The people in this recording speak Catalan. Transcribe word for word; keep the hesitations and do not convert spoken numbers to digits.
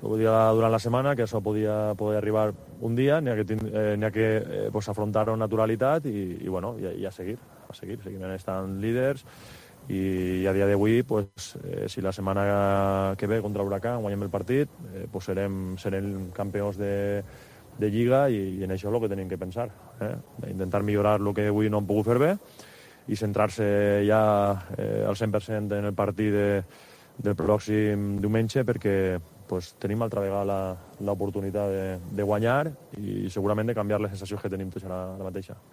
ho dia durant la setmana, que això podia poder arribar un dia, n'hi ha que, eh, n'hi ha que eh, pues, afrontar-ho amb naturalitat i, i, bueno, i, i a seguir, a seguir, seguim estant líders i a dia d'avui, pues, eh, si la setmana que ve contra l'Huracán guanyem el partit, eh, pues serem, serem campions de, de Lliga i, i en això és el que tenim que pensar, eh? Intentar millorar el que avui no hem pogut fer bé i centrar-se ja eh, al cent per cent en el partit de, del pròxim diumenge perquè pues, tenim altra vegada l'oportunitat de, de guanyar i segurament de canviar les sensacions que tenim tots ara, ara mateixa.